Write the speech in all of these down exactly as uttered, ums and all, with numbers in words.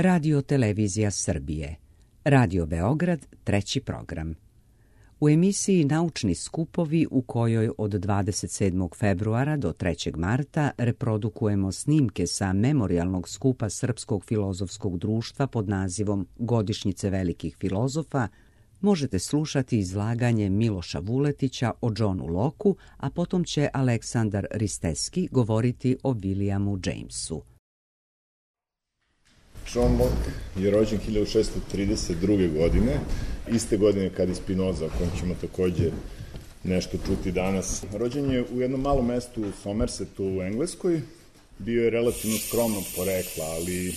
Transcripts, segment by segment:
Radio Televizija Srbije. Radio Beograd, treći program. U emisiji Naučni skupovi, u kojoj od dvadeset sedmog februara do trećeg marta reprodukujemo snimke sa memorijalnog skupa Srpskog filozofskog društva pod nazivom Godišnjice velikih filozofa, možete slušati izlaganje Miloša Vuletića o Johnu Locku, a potom će Aleksandar Risteski govoriti o Williamu Jamesu. John Locke je rođen hiljadu šessto trideset druge. godine, iste godine kad i Spinoza, o kojem ćemo takođe nešto čuti danas. Rođen je u jednom malom mestu u Somersetu u Engleskoj. Bio je relativno skromnog porekla, ali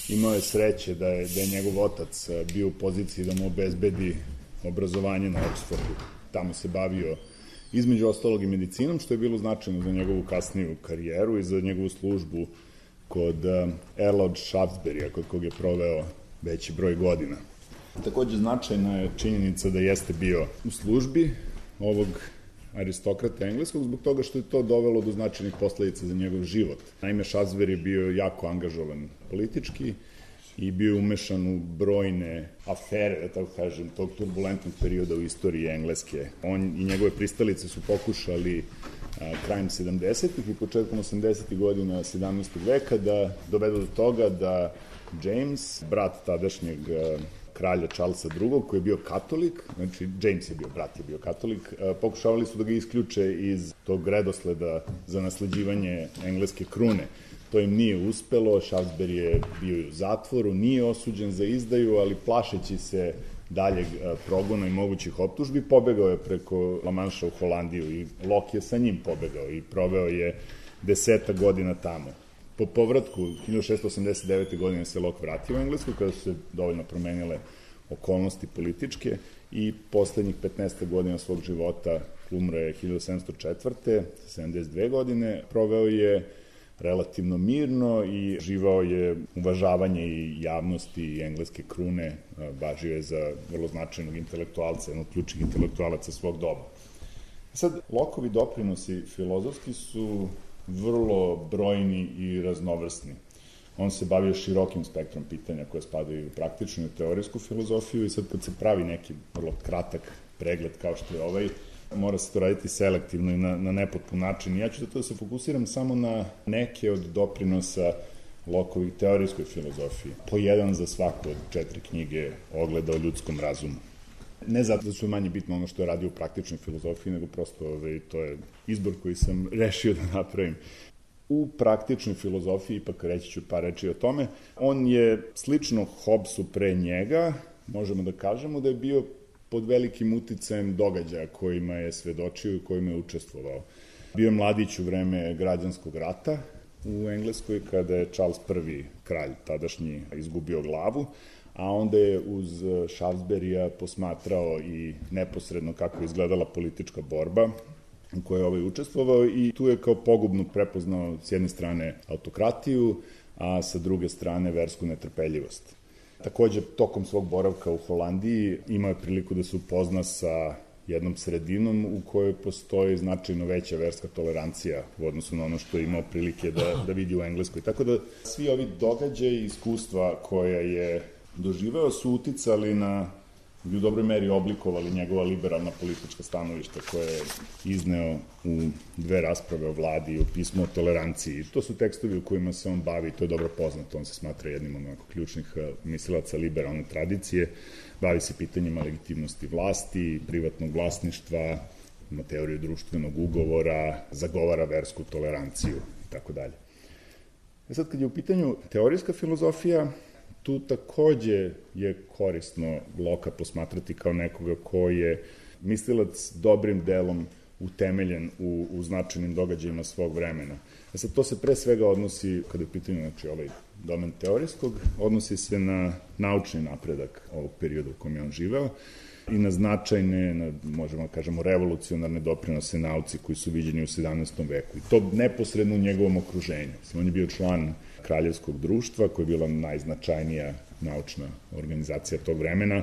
imao je sreće da je, da je njegov otac bio u poziciji da mu obezbedi obrazovanje na Oxfordu. Tamo se bavio između ostalog i medicinom, što je bilo značajno za njegovu kasniju karijeru i za njegovu službu kod Earla od Shaftesburyja, kod kog je proveo veći broj godina. Takođe značajna je činjenica da jeste bio u službi ovog aristokrata engleskog, zbog toga što je to dovelo do značajnih posledica za njegov život. Naime, Shaftesbury je bio jako angažovan politički i bio umešan u brojne afere, da tako kažem, tog turbulentnog perioda u istoriji Engleske. On i njegove pristalice su pokušali a, krajem sedamdesetih i početkom osamdesetih godina sedamnaestog veka da dovedu do toga da James, brat tadašnjeg a, kralja Charlesa drugog, koji je bio katolik, znači James je bio, brat je bio katolik, a, pokušavali su da ga isključe iz tog redosleda za nasleđivanje engleske krune. To im nije uspelo, Shaftesbury je bio u zatvoru, nije osuđen za izdaju, ali plašeći se daljeg progona i mogućih optužbi, pobegao je preko La Manša u Holandiju i Locke je sa njim pobegao i proveo je deseta godina tamo. Po povratku hiljadu šessto osamdeset devete. godine se Locke vratio u Englesku, kada su se dovoljno promenile okolnosti političke i poslednjih petnaest godina svog života umro je hiljadu sedamsto četvrte. sedamdeset dve godine, proveo je relativno mirno i živao je uvažavanje i javnosti i engleske krune, važio je za vrlo značajnog intelektualca, jednog ključnih intelektualaca svog doba. Sad, Lockeovi doprinosi filozofski su vrlo brojni i raznovrsni. On se bavio širokim spektrom pitanja koje spadaju u praktičnu i teorijsku filozofiju i sad kad se pravi neki vrlo kratak pregled kao što je ovaj, mora se to raditi selektivno i na, na nepotpun način. Ja ću da to da se fokusiram samo na neke od doprinosa Lockeovih teorijskoj filozofiji. Po jedan za svaku od četiri knjige Ogleda o ljudskom razumu. Ne zato da su manje bitno ono što je radio u praktičnoj filozofiji, nego prosto ovaj, to je izbor koji sam rešio da napravim. U praktičnoj filozofiji, ipak reći ću par reči o tome, on je slično Hobbesu pre njega, možemo da kažemo da je bio pod velikim uticajem događaja kojima je svedočio i kojima je učestvovao. Bio je mladić u vreme građanskog rata u Engleskoj, kada je Charles prvi kralj tadašnji izgubio glavu, a onda je uz Shaftesburyja posmatrao i neposredno kako je izgledala politička borba u kojoj je ovaj učestvovao i tu je kao pogubno prepoznao s jedne strane autokratiju, a sa druge strane versku netrpeljivost. Takođe, tokom svog boravka u Holandiji imao je priliku da se upozna sa jednom sredinom u kojoj postoji značajno veća verska tolerancija u odnosu na ono što je imao prilike da, da vidi u Engleskoj. Tako da svi ovi događaji i iskustva koja je doživeo su uticali na, i u dobroj meri oblikovali njegova liberalna politička stanovišta koje je izneo u dve rasprave o vladi i o pismu o toleranciji. To su tekstovi u kojima se on bavi, to je dobro poznato, on se smatra jednim od onako ključnih mislilaca liberalne tradicije, bavi se pitanjima legitimnosti vlasti, privatnog vlasništva, ima teoriju društvenog ugovora, zagovara versku toleranciju i tako dalje. E sad, kad je u pitanju teorijska filozofija, tu takođe je korisno Locka posmatrati kao nekoga ko je mislilac dobrim delom utemeljen u, u značajnim događajima svog vremena. A sad to se pre svega odnosi, kada je u pitanju znači, ovaj domen teorijskog, odnosi se na naučni napredak ovog perioda u kojem je on živeo i na značajne, na, možemo da kažemo, revolucionarne doprinose nauci koji su viđeni u sedamnaestom veku. I to neposredno u njegovom okruženju. On je bio član Kraljevskog društva, koja je bila najznačajnija naučna organizacija tog vremena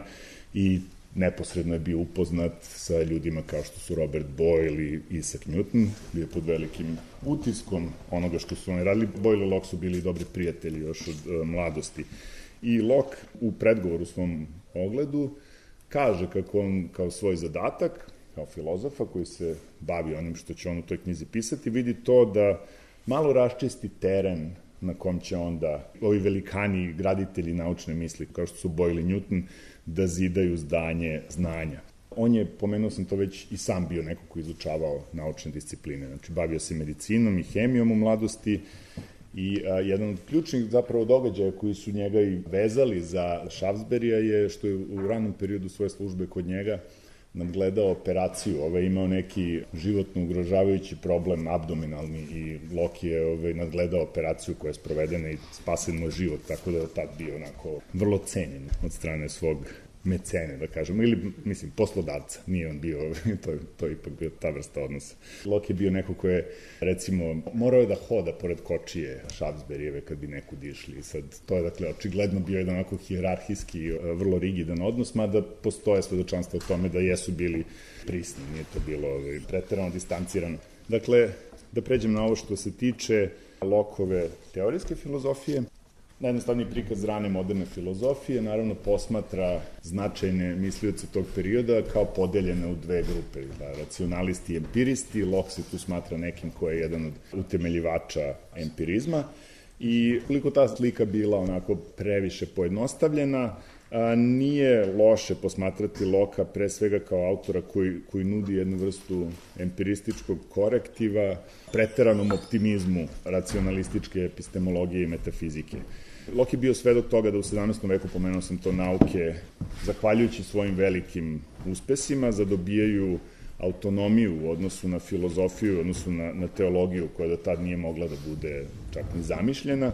i neposredno je bio upoznat sa ljudima kao što su Robert Boyle i Isaac Newton, bio je pod velikim utiskom onoga što su oni radili. Boyle i Locke su bili dobri prijatelji još od uh, mladosti. I Locke u predgovoru svom ogledu kaže kako on kao svoj zadatak, kao filozofa koji se bavi onim što će on u toj knjizi pisati, vidi to da malo raščisti teren na kom će onda ovi velikani graditelji naučne misli, kao što su Boyle i Newton, da zidaju zdanje znanja. On je, pomenuo sam to već, i sam bio neko ko izučavao naučne discipline. Znači, bavio se medicinom i hemijom u mladosti i a, jedan od ključnih zapravo događaja koji su njega i vezali za Šafsberija je što je u ranom periodu svoje službe kod njega nadgledao operaciju. Ovaj imao neki životno ugrožavajući problem, abdominalni, i Locke je ovaj, nadgledao operaciju koja je sprovedena i spasen mu život, tako da je tad bio onako vrlo cenjen od strane svog mecene, da kažemo, ili, mislim, poslodavca. Nije on bio, to, to je ipak bio ta vrsta odnosa. Locke je bio neko ko je, recimo, morao je da hoda pored kočije Šafsberijeve kad bi neku dišli. Sad, to je, dakle, očigledno bio jedan onako hijerarhijski, vrlo rigidan odnos, mada postoje svedočanstva o tome da jesu bili prisni, nije to bilo ovaj, preterano distancirano. Dakle, da pređem na ovo što se tiče Lockeove teorijske filozofije. Najjednostavniji prikaz rane moderne filozofije naravno posmatra značajne mislioce tog perioda kao podeljene u dve grupe, da, racionalisti i empiristi. Locke se tu smatra nekim ko je jedan od utemeljivača empirizma i koliko ta slika bila onako previše pojednostavljena, a, nije loše posmatrati Locke pre svega kao autora koji, koji nudi jednu vrstu empirističkog korektiva preteranom optimizmu racionalističke epistemologije i metafizike. Locke je bio svedok toga da u sedamnaestom veku, pomenuo sam to, nauke, zahvaljujući svojim velikim uspesima, zadobijaju autonomiju u odnosu na filozofiju, u odnosu na, na teologiju, koja do tad nije mogla da bude čak ni zamišljena,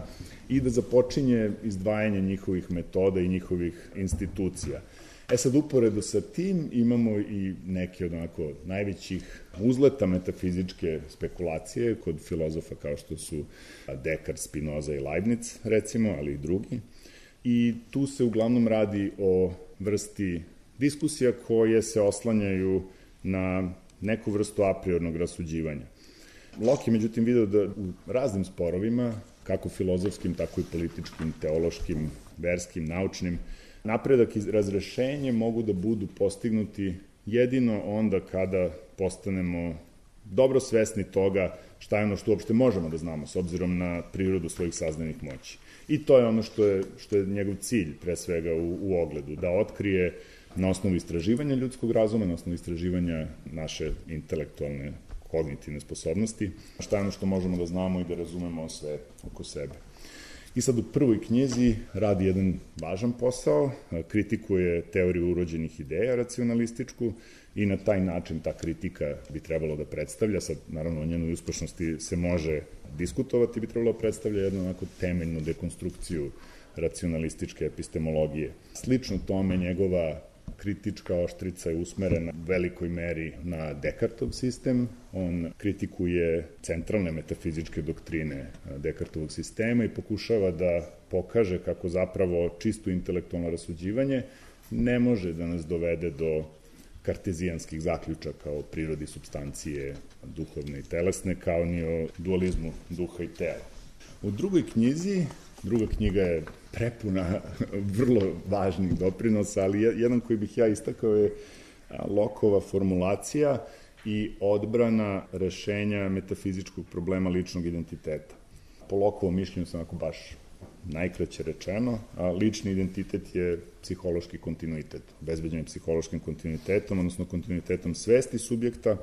i da započinje izdvajanje njihovih metoda i njihovih institucija. E sad, uporedo sa tim imamo i neke od onako najvećih uzleta metafizičke spekulacije kod filozofa kao što su Descartes, Spinoza i Leibniz, recimo, ali i drugi. I tu se uglavnom radi o vrsti diskusija koje se oslanjaju na neku vrstu a priornog rasuđivanja. Locke je međutim video da u raznim sporovima, kako filozofskim, tako i političkim, teološkim, verskim, naučnim, napredak i razrešenje mogu da budu postignuti jedino onda kada postanemo dobro svesni toga šta je ono što uopšte možemo da znamo s obzirom na prirodu svojih saznanih moći. I to je ono što je, što je njegov cilj, pre svega, u, u ogledu, da otkrije na osnovu istraživanja ljudskog razuma, na osnovu istraživanja naše intelektualne, kognitivne sposobnosti, šta je ono što možemo da znamo i da razumemo sve oko sebe. I sad u prvoj knjizi radi jedan važan posao, kritikuje teoriju urođenih ideja racionalističku i na taj način ta kritika bi trebalo da predstavlja, sad naravno o njenoj uspešnosti se može diskutovati, bi trebalo da predstavlja jednu onako temeljnu dekonstrukciju racionalističke epistemologije. Slično tome njegova kritička oštrica je usmerena u velikoj meri na Descartov sistem. On kritikuje centralne metafizičke doktrine Descartovog sistema i pokušava da pokaže kako zapravo čisto intelektualno rasuđivanje ne može da nas dovede do kartezijanskih zaključaka o prirodi supstancije duhovne i telesne, kao ni o dualizmu duha i tela. U drugoj knjizi, druga knjiga je prepuna vrlo važnih doprinosa, ali jedan koji bih ja istakao je Lockeova formulacija i odbrana rešenja metafizičkog problema ličnog identiteta. Po Lockeovom mišljenju sam onako baš najkraće rečeno, a lični identitet je psihološki kontinuitet, obezbeđen je psihološkim kontinuitetom, odnosno kontinuitetom svesti subjekta.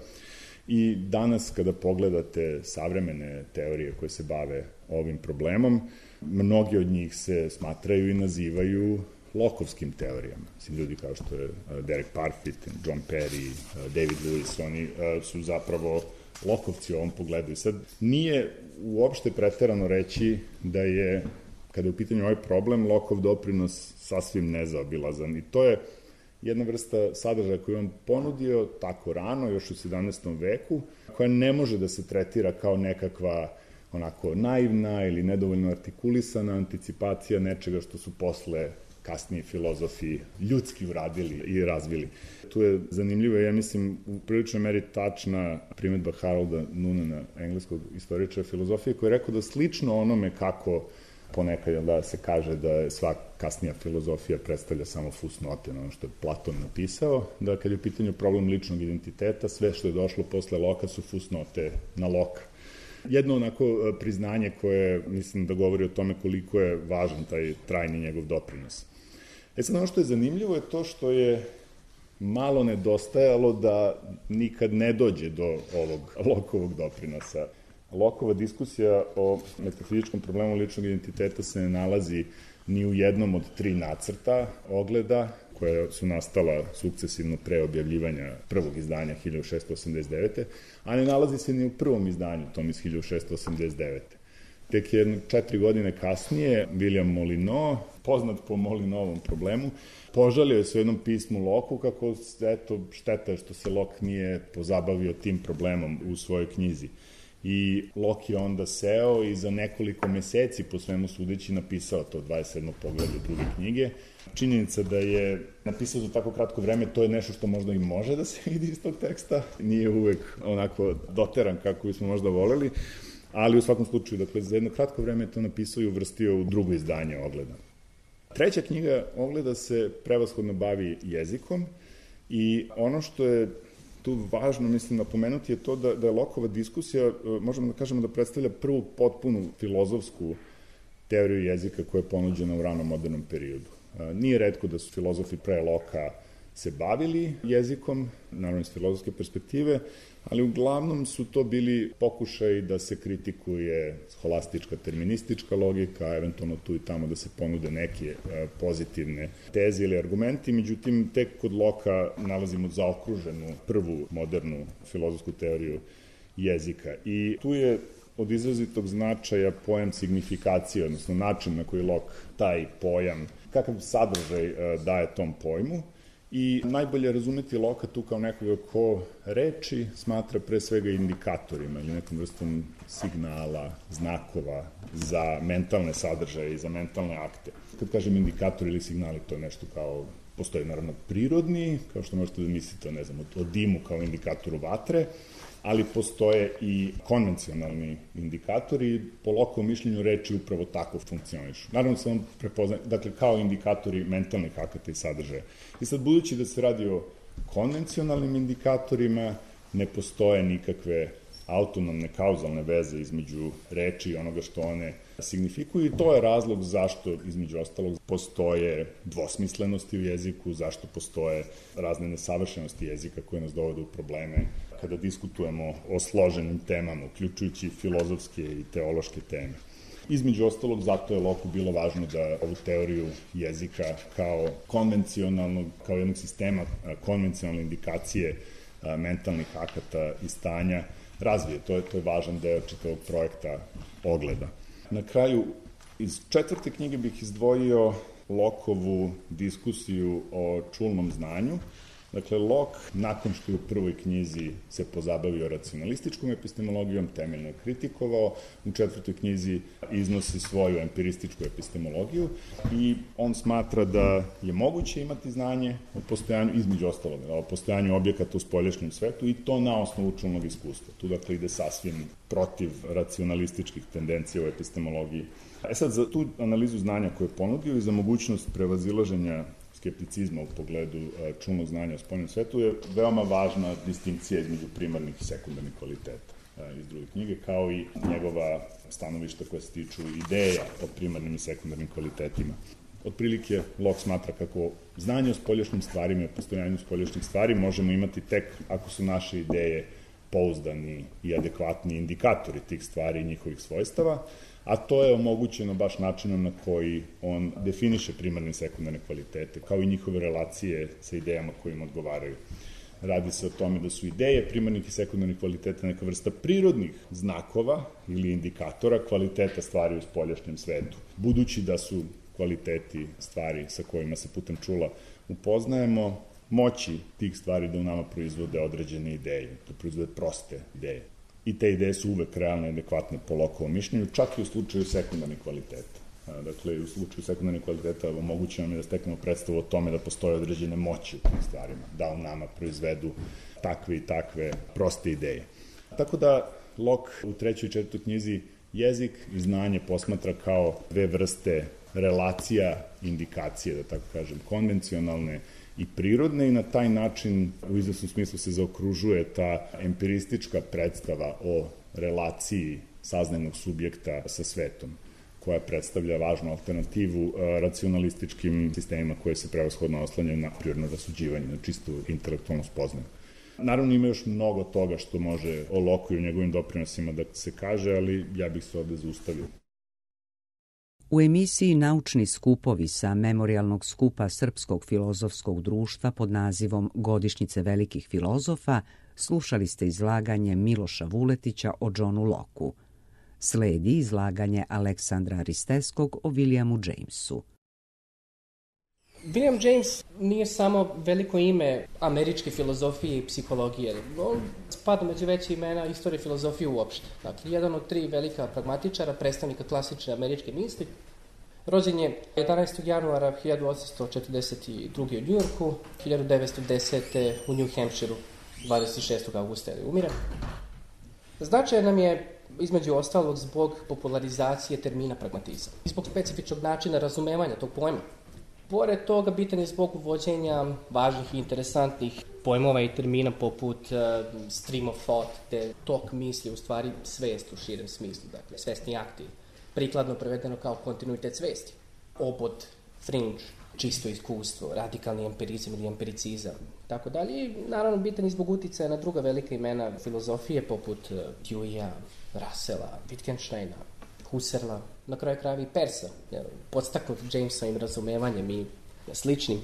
I danas kada pogledate savremene teorije koje se bave ovim problemom, mnogi od njih se smatraju i nazivaju Lockeovskim teorijama. Mislim, ljudi kao što je Derek Parfit, John Perry, David Lewis, oni su zapravo Lockeovci u ovom pogledu. I sad nije uopšte preterano reći da je, kada je u pitanju ovaj problem, Lockeov doprinos sasvim nezaobilazan. I to je jedna vrsta sadržaja koju on ponudio tako rano, još u sedamnaestom veku, koja ne može da se tretira kao nekakva onako naivna ili nedovoljno artikulisana anticipacija nečega što su posle kasnije filozofi ljudski uradili i razvili. Tu je zanimljivo, ja mislim, u priličnoj meri tačna primedba Harolda Nunena, engleskog istoričara filozofije, koji je rekao da slično onome kako ponekad da se kaže da je sva kasnija filozofija predstavlja samo fusnote na ono što je Platon napisao, da kad je u pitanju problem ličnog identiteta, sve što je došlo posle Loka su fusnote na Loka. Jedno onako priznanje koje mislim da govori o tome koliko je važan taj trajni njegov doprinos. E sad, ono što je zanimljivo je to što je malo nedostajalo da nikad ne dođe do ovog Lokovog doprinosa. Lokova diskusija o metafizičkom problemu ličnog identiteta se ne nalazi ni u jednom od tri nacrta Ogleda, koje su nastala sukcesivno pre objavljivanja prvog izdanja hiljadu šeststo osamdeset devete. a ne nalazi se ni u prvom izdanju, tom iz hiljadu šeststo osamdeset devete. Tek jedno četiri godine kasnije, William Molyneux, poznat po Molinovom problemu, požalio je se u jednom pismu Locke kako, eto, šteta je što se Locke nije pozabavio tim problemom u svojoj knjizi. I Locke je onda seo i za nekoliko meseci, po svemu sudeći, napisao to dvadeset sedmo poglavlje druge knjige. Činjenica da je napisao za tako kratko vreme, to je nešto što možda i može da se vidi iz tog teksta. Nije uvek onako doteran kako bismo možda voleli, ali u svakom slučaju, dakle, za jedno kratko vreme je to napisao i uvrstio u drugo izdanje Ogleda. Treća knjiga Ogleda se prevashodno bavi jezikom i ono što je tu važno, mislim, napomenuti je to da, da je Lockova diskusija, možemo da kažemo da predstavlja prvu potpunu filozofsku teoriju jezika koja je ponuđena u ranom modernom periodu. Nije retko da su filozofi pre Locka se bavili jezikom, naravno iz filozofske perspektive, ali uglavnom su to bili pokušaj da se kritikuje holastička terministička logika, eventualno tu i tamo da se ponude neke pozitivne teze ili argumenti, međutim, tek kod Locka nalazimo zaokruženu prvu modernu filozofsku teoriju jezika. I tu je od izrazitog značaja pojam signifikacije, odnosno način na koji Locke taj pojam, kakav sadržaj daje tom pojmu. I najbolje razumeti Locka tu kao nekoga ko reči smatra pre svega indikatorima ili nekom vrstom signala, znakova za mentalne sadržaje i za mentalne akte. Kad kažem indikator ili signali, to je nešto kao, postoji naravno prirodni, kao što možete da mislite, ne znam, o dimu kao indikatoru vatre, ali postoje i konvencionalni indikatori, po Lockovom mišljenju reči upravo tako funkcionišu. Naravno se on prepoznaje, dakle, kao indikatori mentalnih akata i sadržaja. I sad, budući da se radi o konvencionalnim indikatorima, ne postoje nikakve autonomne kauzalne veze između reči i onoga što one signifikuju i to je razlog zašto, između ostalog, postoje dvosmislenosti u jeziku, zašto postoje razne nesavršenosti jezika koje nas dovode u probleme kada diskutujemo o složenim temama, uključujući filozofske i teološke teme. Između ostalog, zato je Locku bilo važno da ovu teoriju jezika kao konvencionalnog, kao jednog sistema konvencionalne indikacije mentalnih akata i stanja razvije. To je, to je važan deo čitavog projekta Ogleda. Na kraju, iz četvrte knjige bih izdvojio Lockovu diskusiju o čulnom znanju. Dakle, Locke, nakon što je u prvoj knjizi se pozabavio racionalističkom epistemologijom, temeljno je kritikovao, u četvrtoj knjizi iznosi svoju empirističku epistemologiju i on smatra da je moguće imati znanje o postojanju, između ostalog, o postojanju objekata u spoljašnjem svetu i to na osnovu čulnog iskustva. Tu, dakle, ide sasvim protiv racionalističkih tendencija u epistemologiji. E sad, za tu analizu znanja koju je ponudio i za mogućnost prevazilaženja skepticizma u pogledu čulnog znanja o spoljnom svetu je veoma važna distinkcija između primarnih i sekundarnih kvaliteta iz druge knjige, kao i njegova stanovišta koja se tiču ideja o primarnim i sekundarnim kvalitetima. Otprilike, Locke smatra kako znanje o spoljašnjim stvarima i o postojanju spoljašnjih stvari možemo imati tek ako su naše ideje pouzdani i adekvatni indikatori tih stvari i njihovih svojstava, a to je omogućeno baš načinom na koji on definiše primarne i sekundarne kvalitete, kao i njihove relacije sa idejama koje im odgovaraju. Radi se o tome da su ideje primarnih i sekundarnih kvaliteta neka vrsta prirodnih znakova ili indikatora kvaliteta stvari u spoljašnjem svetu. Budući da su kvaliteti stvari sa kojima se putem čula upoznajemo, moći tih stvari da u nama proizvode određene ideje, da proizvode proste ideje. I te ideje su uvek realne i adekvatne po Lockovom mišljenju, čak i u slučaju sekundarnih kvaliteta. Dakle, u slučaju sekundarnih kvaliteta omogućeno nam je da steknemo predstavu o tome da postoje određene moći u tim stvarima, da u nama proizvedu takve i takve proste ideje. Tako da Locke u trećoj i četvrtoj knjizi jezik i znanje posmatra kao dve vrste relacija, indikacije, da tako kažem, konvencionalne i prirodne, i na taj način u izvesnom smislu se zaokružuje ta empiristička predstava o relaciji saznajnog subjekta sa svetom, koja predstavlja važnu alternativu racionalističkim sistemima koje se prevashodno oslanjaju na prirodno rasuđivanje, na čistu intelektualnu spoznaju. Naravno, ima još mnogo toga što može o Locke i o njegovim doprinosima da se kaže, ali ja bih se ovde zaustavio. U emisiji Naučni skupovi sa Memorijalnog skupa Srpskog filozofskog društva pod nazivom Godišnjice velikih filozofa slušali ste izlaganje Miloša Vuletića o Johnu Lockeu. Sledi izlaganje Aleksandra Risteskog o Williamu Jamesu. William James nije samo veliko ime američke filozofije i psihologije. On spada među veće imena istorije filozofije uopšte. Dakle, jedan od tri velika pragmatičara, predstavnika klasične američke misli. Rođen je jedanaestog januara hiljadu osamsto četrdeset druge u Njujorku, hiljadu devetsto desete u New Hampshireu, dvadeset šestog avgusta je umire. Značajan nam je između ostalog zbog popularizacije termina pragmatizam i zbog specifičnog načina razumevanja tog pojma. Pored toga, bitan je zbog uvođenja važnih i interesantnih pojmova i termina poput uh, stream of thought, te tok misli, u stvari svest u širem smislu, dakle svesni akti, prikladno prevedeno kao kontinuitet svesti, obod, fringe, čisto iskustvo, radikalni empirizam ili empiricizam, tako dalje. I naravno bitan je zbog uticaja na druga velika imena filozofije poput uh, Deweyja, Russella, Wittgensteina, Husserla, na kraju krajeva i Persa, podstaknut Jamesovim razumevanjem i sličnim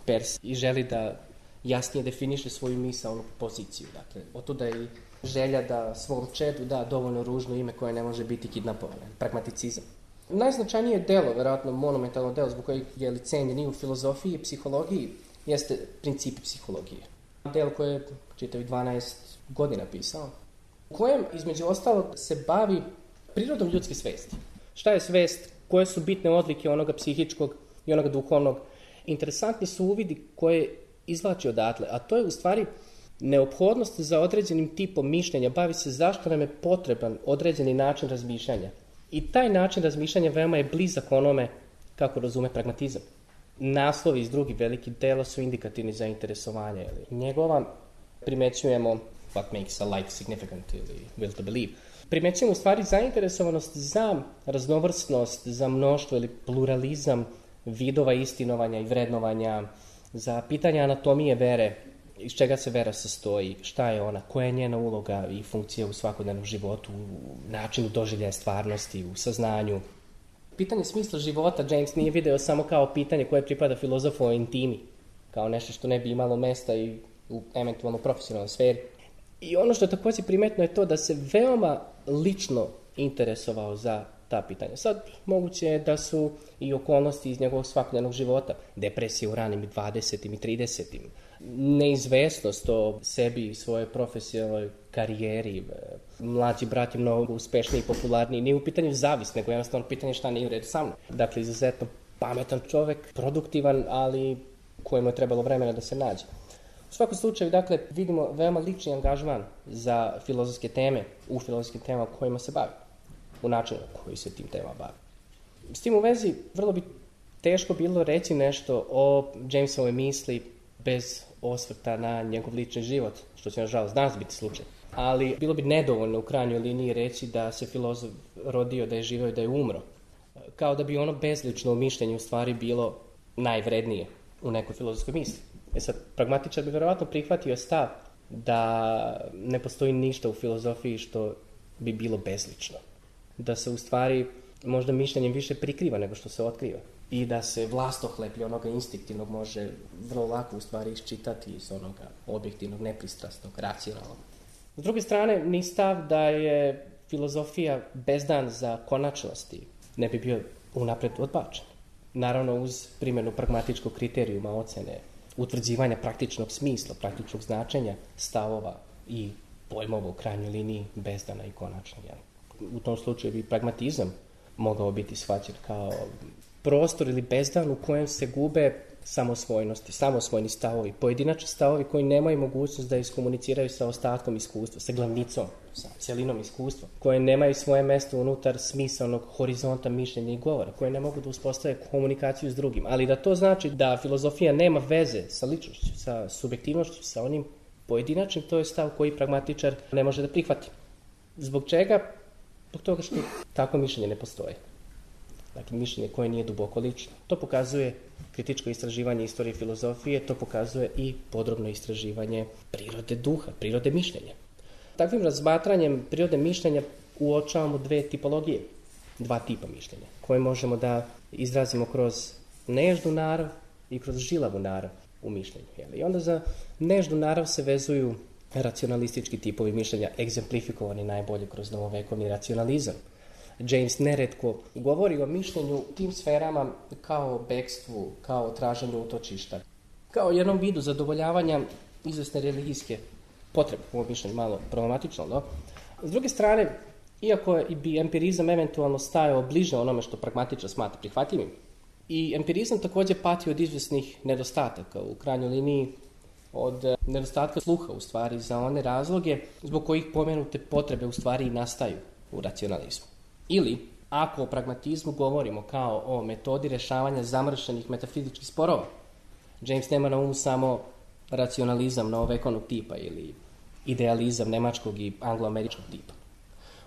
Pers, i želi da jasnije definiše svoju misaonu poziciju. Dakle, otuda je i želja da svom čedu da dovoljno ružno ime koje ne može biti kidnapovano, pragmaticizam. Najznačajnije delo, verovatno monumentalno delo zbog kojeg je cenjen i u filozofiji i psihologiji, jeste Principi psihologije. Delo koje je čitavi dvanaest godina pisao, u kojem, između ostalog, se bavi prirodom ljudske svesti. Šta je svest, koje su bitne odlike onoga psihičkog i onoga duhovnog. Interesantni su uvidi koje izvlači odatle, a to je u stvari neophodnost za određenim tipom mišljenja, bavi se zašto nam je potreban određeni način razmišljanja. I taj način razmišljanja veoma je blizak onome kako razume pragmatizam. Naslovi iz drugih velikih dela su indikativni za interesovanje. Njegova primećujemo what makes a life significant ili will to believe. Primećujemo u stvari zainteresovanost za raznovrsnost, za mnoštvo ili pluralizam vidova istinovanja i vrednovanja, za pitanje anatomije vere, iz čega se vera sastoji, šta je ona, koja je njena uloga i funkcija u svakodnevnom životu, u načinu doživljaja stvarnosti, u saznanju. Pitanje smisla života James nije video samo kao pitanje koje pripada filozofu o intimi, kao nešto što ne bi imalo mesta i u eventualno profesionalnoj sferi. I ono što je također primetno je to da se veoma lično interesovao za ta pitanja. Sad, moguće je da su i okolnosti iz njegovog svakodnevnog života, depresije u ranim dvadesetim i tridesetim, neizvesnost o sebi i svojoj profesionalnoj karijeri, mlađi brat je mnogo uspešniji i popularniji, nije u pitanju zavis, nego jednostavno pitanje šta nije u redu sa mnom. Dakle, izuzetno pametan čovek, produktivan, ali kojemu je trebalo vremena da se nađe. U svakom slučaju, dakle, vidimo veoma lični angažman za filozofske teme, u filozofskim temama kojima se bavi, u načinu koji se tim temama bavi. S tim u vezi, vrlo bi teško bilo reći nešto o Jamesovoj misli bez osvrta na njegov lični život, što će nažalost danas biti slučaj. Ali bilo bi nedovoljno u krajnjoj liniji reći da se filozof rodio, da je živeo i da je umro. Kao da bi ono bezlično mišljenje u stvari bilo najvrednije u nekoj filozofskoj misli. E sad, pragmatičar bi verovatno prihvatio stav da ne postoji ništa u filozofiji što bi bilo bezlično. Da se u stvari možda mišljenjem više prikriva nego što se otkriva. I da se vlastohleplje onoga instinktivnog može vrlo lako u stvari iščitati iz onoga objektivnog, nepristrasnog, racionalnog. S druge strane, ni stav da je filozofija bezdan za konačnosti ne bi bio unapred odbačen. Naravno, uz primjenu pragmatičkog kriterijuma ocene, utvrđivanja praktičnog smisla, praktičnog značenja stavova i pojmova u krajnjoj liniji bezdana i konačna. U tom slučaju bi pragmatizam mogao biti shvaćen kao prostor ili bezdan u kojem se gube samosvojnosti, samosvojni stavovi, pojedinačni stavovi koji nemaju mogućnost da iskomuniciraju sa ostatkom iskustva, sa glavnicom, sa cjelinom iskustva, koje nemaju svoje mjesto unutar smisalnog horizonta mišljenja i govora, koje ne mogu da uspostave komunikaciju s drugim. Ali da to znači da filozofija nema veze sa ličnošću, sa subjektivnošću, sa onim pojedinačnim, to je stav koji pragmatičar ne može da prihvati. Zbog čega? Zbog toga što tako mišljenje ne postoje. Dakle, mišljenje koje nije duboko lično. To pokazuje kritičko istraživanje istorije filozofije, to pokazuje i podrobno istraživanje prirode duha, prirode mišljenja. Takvim razmatranjem prirode mišljenja uočavamo dve tipologije, dva tipa mišljenja, koje možemo da izrazimo kroz nežnu narav i kroz žilavu narav u mišljenju. I onda za nežnu narav se vezuju racionalistički tipovi mišljenja, egzemplifikovani najbolje kroz novovekovni racionalizam. James neretko govori o mišljenju u tim sferama kao o bekstvu, kao o traženju utočišta, kao o jednom vidu zadovoljavanja izvesne religijske potrebe, ovo mišljenje malo problematično, no? S druge strane, iako bi empirizam eventualno stajao bliže onome što pragmatičar smatra prihvatljivim, i empirizam također pati od izvesnih nedostataka, u krajnjoj liniji od nedostatka sluha u stvari za one razloge zbog kojih pomenute potrebe u stvari i nastaju u racionalizmu. Ili, ako o pragmatizmu govorimo kao o metodi rješavanja zamršenih metafizičkih sporova, James nema na umu samo racionalizam novovekovnog tipa ili idealizam nemačkog i angloameričkog tipa.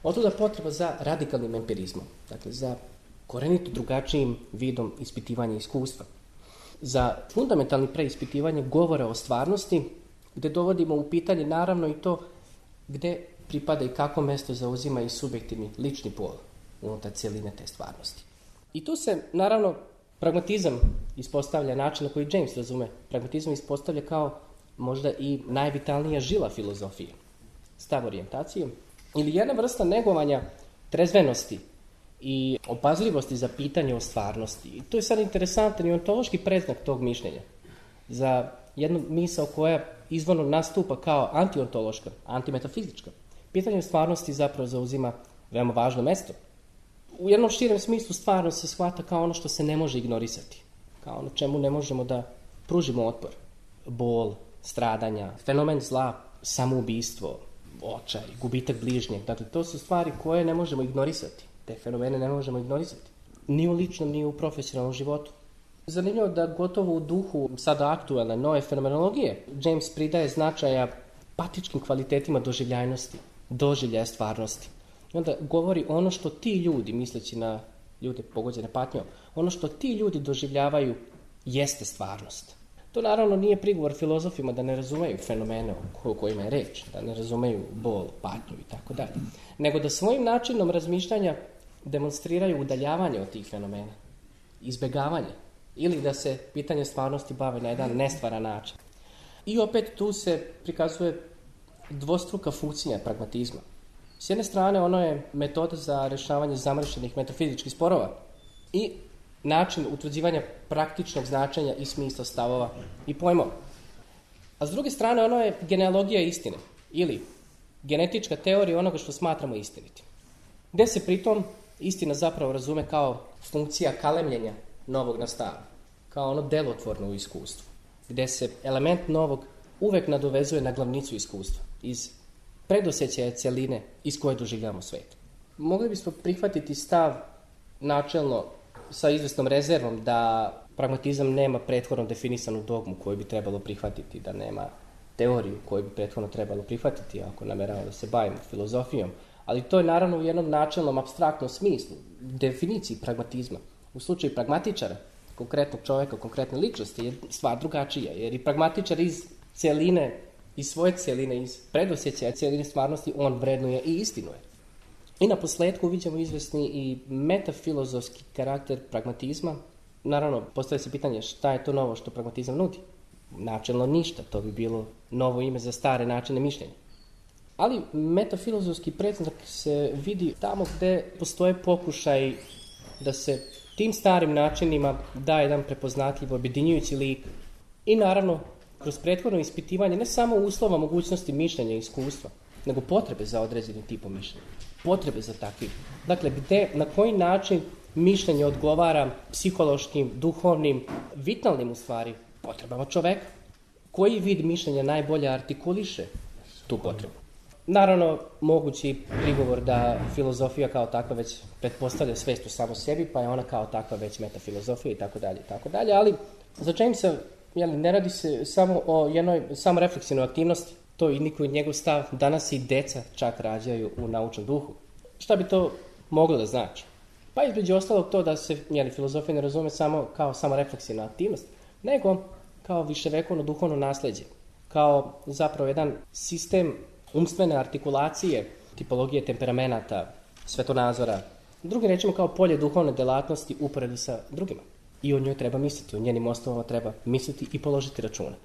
Otuda potreba za radikalnim empirizmom, dakle za korenito drugačijim vidom ispitivanja iskustva, za fundamentalni preispitivanje govora o stvarnosti, gdje dovodimo u pitanje naravno i to gdje pripada i kako mjesto zauzima i subjektivni lični pol unutar cijeline te stvarnosti. I tu se, naravno, pragmatizam ispostavlja način na koji James razume. Pragmatizam ispostavlja kao možda i najvitalnija žila filozofije, stav orijentacije, ili jedna vrsta negovanja trezvenosti i opazljivosti za pitanje o stvarnosti. I to je sad interesantan i ontološki predznak tog mišljenja za jednu misao koja izvorno nastupa kao antiontološka, antimetafizička. Pitanje o stvarnosti zapravo zauzima veoma važno mjesto. U jednom širem smislu stvarnost se shvata kao ono što se ne može ignorisati, kao ono čemu ne možemo da pružimo otpor. Bol, stradanja, fenomen zla, samoubistvo, očaj, gubitak bližnjeg. Dakle, to su stvari koje ne možemo ignorisati. Te fenomene ne možemo ignorisati. Ni u ličnom, ni u profesionalnom životu. Zanimljivo da gotovo u duhu sada aktualne nove fenomenologije James pridaje značaja patičkim kvalitetima doživljajnosti, doživljaja stvarnosti. I onda govori ono što ti ljudi, misleći na ljude pogođene patnjom, ono što ti ljudi doživljavaju jeste stvarnost. To naravno nije prigovor filozofima da ne razumeju fenomene o kojima je reč, da ne razumeju bol, patnju i tako dalje, nego da svojim načinom razmišljanja demonstriraju udaljavanje od tih fenomena, izbjegavanje, ili da se pitanje stvarnosti bave na jedan nestvaran način. I opet tu se prikazuje dvostruka funkcija pragmatizma. S jedne strane ono je metoda za rješavanje zamršenih metafizičkih sporova i način utvrđivanja praktičnog značenja i smisla stavova i pojmova. A s druge strane ono je genealogija istine ili genetička teorija onoga što smatramo istinitim. Gdje se pritom istina zapravo razume kao funkcija kalemljenja novog na staro, kao ono delotvorno u iskustvu, gdje se element novog uvek nadovezuje na glavnicu iskustva, iz predosjećaja cjeline iz koje doživljamo svijet. Mogli bismo prihvatiti stav načelno sa izvesnom rezervom da pragmatizam nema prethodno definisanu dogmu koju bi trebalo prihvatiti, da nema teoriju koju bi prethodno trebalo prihvatiti ako nameravamo da se bavimo filozofijom. Ali to je naravno u jednom načelnom apstraktnom smislu, definiciji pragmatizma. U slučaju pragmatičara, konkretnog čovjeka, konkretne ličnosti, je stvar drugačija, jer i pragmatičar iz cjeline, iz svoje cjeline, iz predosjećaja cjeline stvarnosti, on vrednuje i istinuje. I na posljedku vidimo izvesni i metafilozofski karakter pragmatizma. Naravno, postavlja se pitanje šta je to novo što pragmatizam nudi. Načelno ništa, to bi bilo novo ime za stare načine mišljenja. Ali metafilozofski predznak se vidi tamo gdje postoje pokušaj da se tim starim načinima da jedan prepoznatljiv, objedinjujući lik. I naravno, kroz prethodno ispitivanje ne samo uslova mogućnosti mišljenja i iskustva, nego potrebe za određenim tipom mišljenja. Potrebe za takvim. Dakle, gde, na koji način mišljenje odgovara psihološkim, duhovnim, vitalnim u stvari potrebama čoveka. Koji vid mišljenja najbolje artikuliše tu potrebu? Naravno, mogući prigovor da filozofija kao takva već pretpostavlja svest u samo sebi, pa je ona kao takva već metafilozofija i tako dalje, i tako dalje, ali za Jamesa jeli, ne radi se samo o jednoj samorefleksivnoj aktivnosti, to i niko njegov stav, danas i deca čak rađaju u naučnom duhu. Šta bi to moglo da znači? Pa između ostalog to da se jeli, filozofija ne razume samo kao samorefleksivna aktivnost, nego kao viševekovno duhovno nasleđe, kao zapravo jedan sistem umstvene artikulacije, tipologije temperamenata, svetonazora, drugim rečima kao polje duhovne delatnosti uporedu sa drugima. I o njoj treba misliti, o njenim osnovama treba misliti i položiti račune.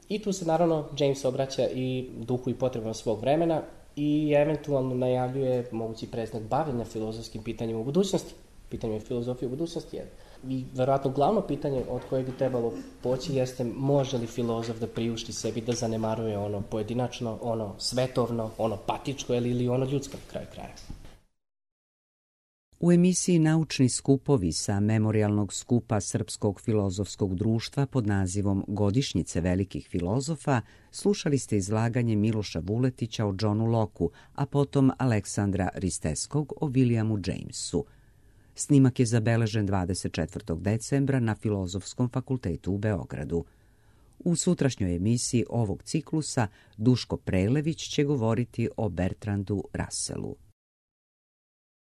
I tu se naravno James obraća i duhu i potrebama svog vremena i eventualno najavljuje mogući predznak bavljenja filozofskim pitanjima u budućnosti. Pitanje filozofije u budućnosti je. I verovatno glavno pitanje od kojeg bi trebalo poći jeste može li filozof da priušti sebi da zanemaruje ono pojedinačno, ono svetovno, ono patičko ili ono ljudsko na kraju kraja. U emisiji Naučni skupovi sa memorijalnog skupa Srpskog filozofskog društva pod nazivom Godišnjice velikih filozofa slušali ste izlaganje Miloša Vuletića o Johnu Locku, a potom Aleksandra Risteskog o Williamu Jamesu. Snimak je zabeležen dvadeset četvrtog decembra na Filozofskom fakultetu u Beogradu. U sutrašnjoj emisiji ovog ciklusa Duško Prelević će govoriti o Bertrandu Russellu.